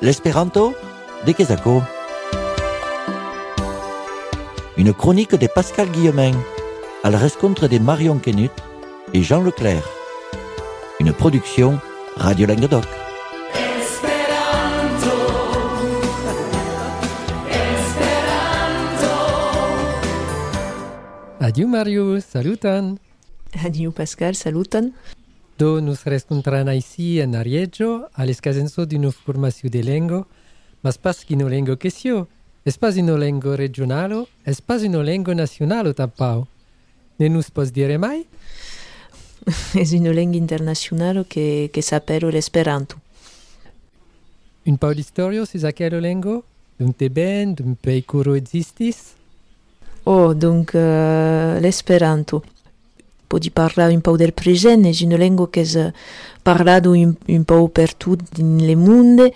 L'Esperanto de Quesaco. Une chronique de Pascal Guillemin, à la rencontre de Marion Quenut et Jean Leclerc. Une production Radio Languedoc. Adieu Mario, salutan. Adieu Pascal, salutan. Do nos rescontran ici en Arieggio, all'escasenso d'una formazione de lengo, mas pas qu'una lengo quesio. Es pas una lengo regionalo, es pas una lengo nacionalo tampau. Ne nous pos dire mai? Es una lengua internacional que s'appelle l'Esperanto. Un pau d'historio sus aquella lengo? D'un te ben, d'un pei curo existis? Oh, donc l'Esperanto. Podi parlare un po' del presente, è una lingua che è parlata un po' per tutto nel mondo.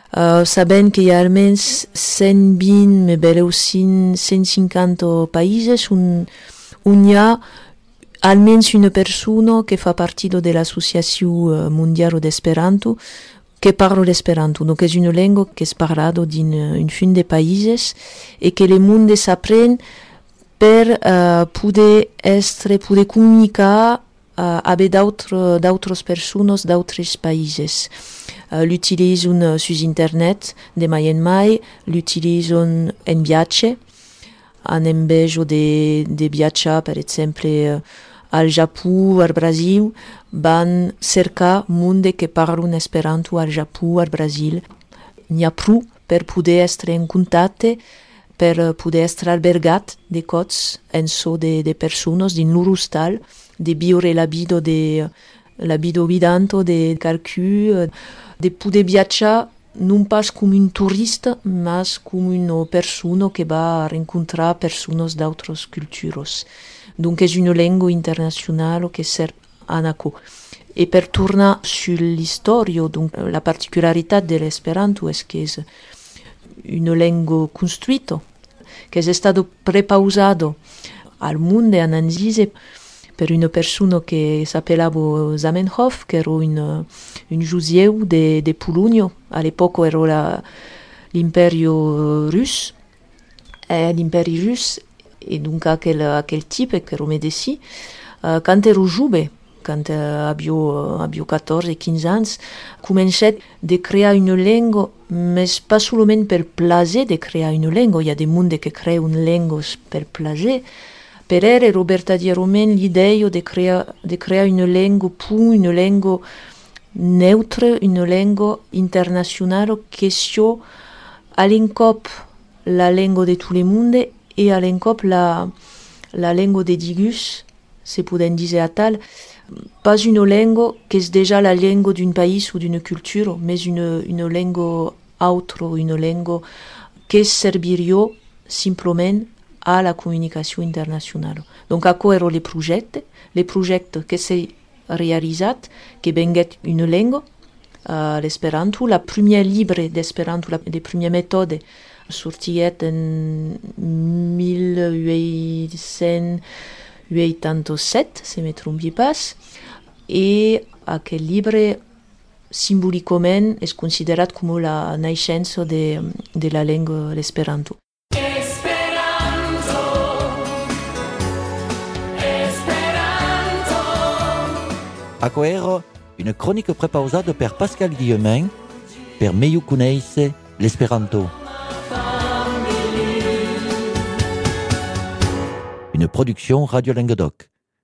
Sapendo che hi ha almeno 120, ma bello 150 paesi, on y a almeno una persona che fa parte dell'Associazione Mondiale d'Esperanto che parla l'esperanto. Donc è una lingua che è parlata in un fin de paesi e che le mondo s'apprende per poter comunicare avec d'autres personnes d'autres pays. L'utilisano su internet de mai en mai, l'utilisano en viatge, en invece de viatjar, per exemple, al Japó, al Brasil, van cercar monde che parlano esperanto al Japó, al Brasil. N'hi ha prou per poder essere in contatto, per poder essere albergat de cots en so de persones din loro stal, de viure la vida vidanto de qualcun, de poder viatjar non pas come un turista, ma come una persona che va a rincontrare persone d'altre cultures. Donc è una lingua internazionale che serve a naco. E per tornare sull'istoria, donc la particolarità dell'Esperanto è che è una lingua costruita, che è stato prepausato al mondo in Anzise per una persona che si appellava Zamenhof, che era un giudeo di Polonia. All'epoca era l'imperio russo, e dunque quel tipo che era medesì. Quando ero giovane, quando avevo 14-15 anni, cominciai a creare una lingua, ma non solamente per piacere di creare una lingua. Il y a des mondi che creano una lingua per piacere. Per ero verdaderamente l'idea di creare una lingua pura, una lingua neutra, una lingua internazionale che sia all'incop la lingua di tutto il mondo e all'incop la lingua di Digus, se possiamo dire a tal. Pas una lingua che è già la lingua di un paese o di una cultura, ma una lingua altra, una lingua che servirebbe semplicemente alla comunicazione internazionale. Donc, a quoi erano i progetti che si realizzati, che vengono una lingua, l'esperanto. La prima libro d'esperanto, le prime metode, sortiet en 1887, se ne trompi pas, e aquel libro simbolicament è considerato come la nascenza della lingua l'esperanto. Aqua era une chronique prepausata per Pascal Guillemin per meglio conoscere l'Esperanto. Une production Radio Languedoc.